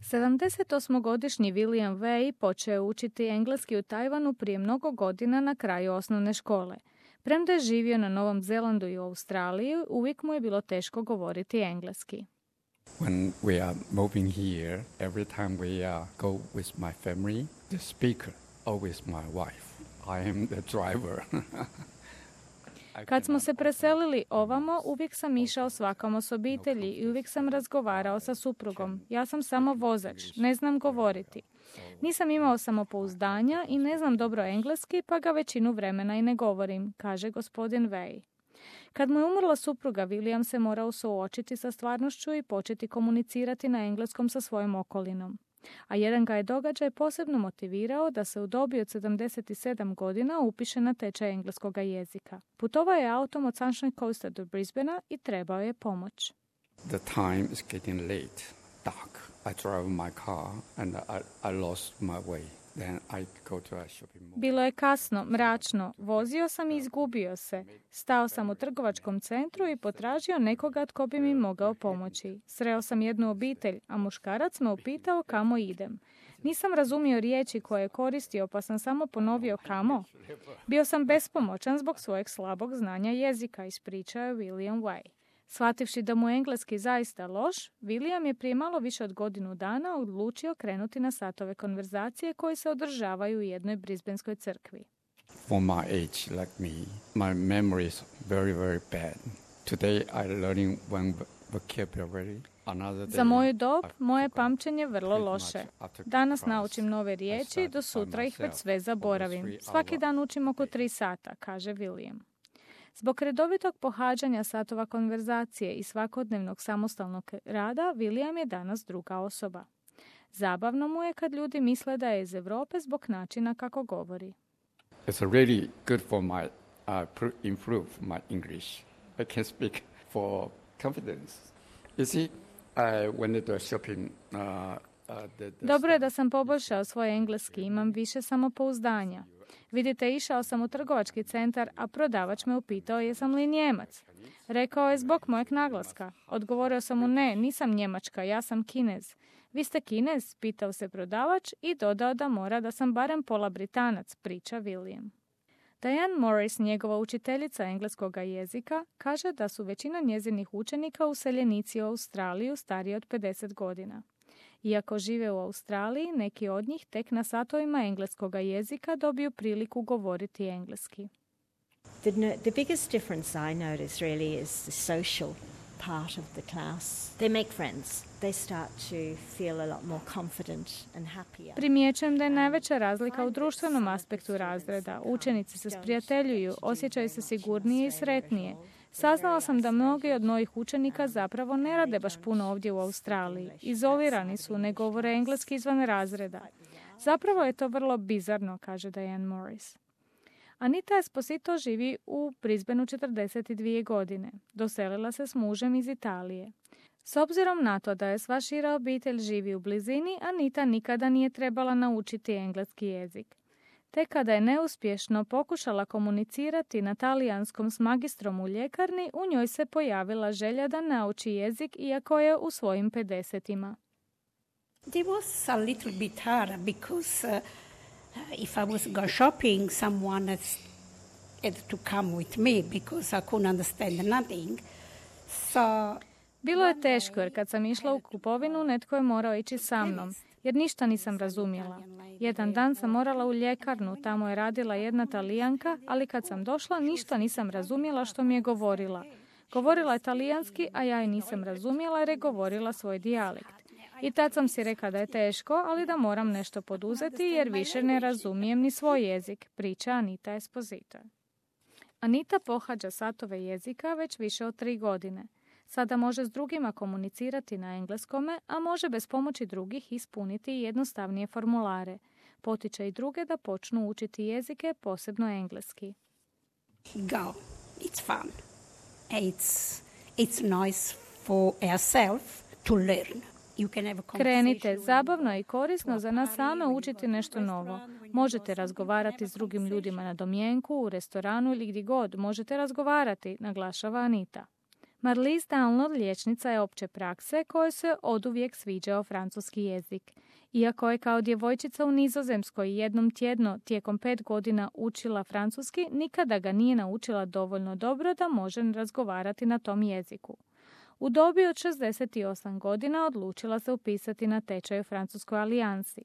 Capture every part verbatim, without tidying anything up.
sedamdesetosmogodišnji William Way počeo je učiti engleski u Tajvanu prije mnogo godina na kraju osnovne škole. Premda je živio na Novom Zelandu i u Australiji, uvijek mu je bilo teško govoriti engleski. When we are moving here, every time we uh, go with my family, the speaker always my wife. I am the driver. Kad smo se preselili ovamo, uvijek sam išao svakamo s obitelji i uvijek sam razgovarao sa suprugom. Ja sam samo vozač, ne znam govoriti. Nisam imao samopouzdanja i ne znam dobro engleski, pa ga većinu vremena i ne govorim, kaže gospodin Way. Kad mu je umrla supruga, William se morao suočiti sa stvarnošću i početi komunicirati na engleskom sa svojom okolinom. A jedan ga je događaj posebno motivirao da se u dobi od sedamdeset sedam godina upiše na tečaj engleskog jezika. Putovao je autom od Sunshine Coasta do Brisbanea i trebao je pomoć. The time is getting late, dark. I drive my car and I, I lost my way. Then I go to a shopping mall. Bilo je kasno, mračno. Vozio sam i izgubio se. Stao sam u trgovačkom centru i potražio nekoga tko bi mi mogao pomoći. Sreo sam jednu obitelj, a muškarac me upitao kamo idem. Nisam razumio riječi koje je koristio, pa sam samo ponovio kamo. Bio sam bespomoćan zbog svojeg slabog znanja jezika, ispričao je William Way. Shvativši da mu je engleski zaista loš, William je prije malo više od godinu dana odlučio krenuti na satove konverzacije koji se održavaju u jednoj brisbaneskoj crkvi. For my age like me, my memory is very, very bad. Today I'm learning one vocabulary. Za moju dob, moje pamćenje je vrlo loše. Danas naučim nove riječi, do sutra ih već sve zaboravim. Svaki dan učim oko tri sata, kaže William. Zbog redovitog pohađanja satova konverzacije i svakodnevnog samostalnog rada, William je danas druga osoba. Zabavno mu je kad ljudi misle da je iz Europe zbog načina kako govori. It's really good for my uh, improve my English. I can speak for confidence. You see, I went to shopping. Uh, uh, the, the Dobro je da sam poboljšao svoj engleski, imam više samopouzdanja. Vidite, išao sam u trgovački centar, a prodavač me upitao jesam li Njemac. Rekao je zbog mojeg naglaska. Odgovorio sam mu ne, nisam Njemačka, ja sam Kinez. Vi ste Kinez? Pitao se prodavač i dodao da mora da sam barem pola Britanac, priča William. Diane Morris, njegova učiteljica engleskog jezika, kaže da su većina njezinih učenika useljenici u Australiju stariji od pedeset godina. Iako žive u Australiji, neki od njih tek na satovima engleskog jezika dobiju priliku govoriti engleski. The, the biggest difference I notice really is the social part of the class. They make friends. They start to feel a lot more confident and happier. Primjećujem da je najveća razlika u društvenom aspektu razreda. Učenici se sprijateljuju, osjećaju se sigurnije i sretnije. Saznala sam da mnogi od mojih učenika zapravo ne rade baš puno ovdje u Australiji. Izolirani su, ne govore engleski izvan razreda. Zapravo je to vrlo bizarno, kaže Diane Morris. Anita Esposito živi u Brisbaneu četrdeset dvije godine. Doselila se s mužem iz Italije. S obzirom na to da je sva šira obitelj živi u blizini, Anita nikada nije trebala naučiti engleski jezik. Te kada je neuspješno pokušala komunicirati na talijanskom s magistrom u ljekarni, u njoj se pojavila želja da nauči jezik iako je u svojim pedesetima. It was a little bit hard because uh, if I was go shopping, someone has had to come with me because I couldn't understand nothing. So Bilo je teško jer kad sam išla u kupovinu, netko je morao ići sa mnom, jer ništa nisam razumjela. Jedan dan sam morala u ljekarnu, tamo je radila jedna Talijanka, ali kad sam došla, ništa nisam razumjela što mi je govorila. Govorila je talijanski, a ja je nisam razumjela jer je govorila svoj dijalekt. I tad sam si rekla da je teško, ali da moram nešto poduzeti jer više ne razumijem ni svoj jezik, priča Anita Esposito. Anita pohađa satove jezika već više od tri godine. Sada može s drugima komunicirati na engleskome, a može bez pomoći drugih ispuniti jednostavnije formulare. Potiče i druge da počnu učiti jezike, posebno engleski. Go. It's fun. It's, it's nice for ourselves to learn. Krenite, zabavno i korisno za nas same učiti nešto novo. Možete razgovarati s drugim ljudima na domjenku, u restoranu ili gdje god. Možete razgovarati, naglašava Anita. Marlise Download liječnica je opće prakse kojoj se oduvijek sviđao francuski jezik. Iako je kao djevojčica u Nizozemskoj jednom tjedno tijekom pet godina učila francuski, nikada ga nije naučila dovoljno dobro da može razgovarati na tom jeziku. U dobi od šezdeset osam godina odlučila se upisati na tečaj u Francuskoj alijansi.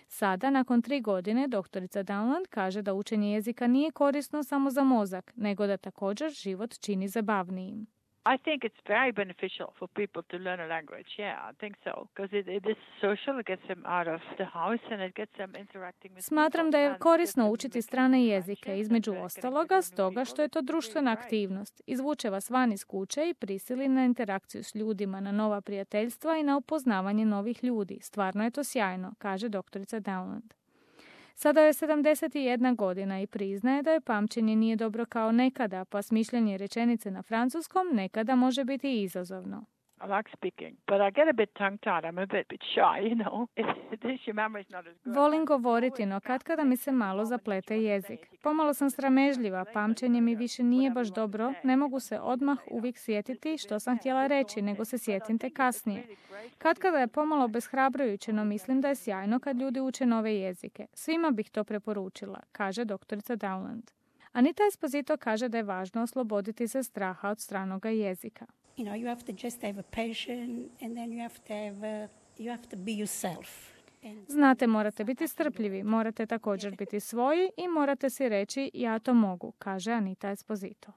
Sada, nakon tri godine, doktorica Downland kaže da učenje jezika nije korisno samo za mozak, nego da također život čini zabavnijim. I think it's very beneficial for people to learn a language. Yeah, I think so. Because it, it is social, it gets them out of the house and it gets them interacting with Smatram da je korisno učiti strane jezike, između ostaloga, stoga što je to društvena aktivnost. Izvuče vas van iz kuće i prisili na interakciju s ljudima, na nova prijateljstva i na upoznavanje novih ljudi. Stvarno je to sjajno, kaže doktorica Downland. Sada je sedamdeset jedna godina i priznaje da je pamćenje nije dobro kao nekada, pa smišljanje rečenice na francuskom nekada može biti izazovno. I like speaking, but I get a bit tongue-tied. I'm a bit, bit shy, you know. Your memory's not as good. Volim govoriti, no katkada mi se malo zaplete jezik. Pomalo sam sramežljiva, pamćenje mi više nije baš dobro, ne mogu se odmah uvijek sjetiti što sam htjela reći, nego se sjetim te kasnije. Katkada je pomalo obeshrabrujuće, no mislim da je sjajno kad ljudi uče nove jezike. Svima bih to preporučila, kaže doktorica Downland. Anita Esposito kaže da je važno osloboditi se straha od stranoga jezika. You know, you have to just have a passion and then you have to have, uh, you have to be yourself. Znate, morate biti strpljivi, morate također biti svoji i morate si reći ja to mogu, kaže Anita Esposito.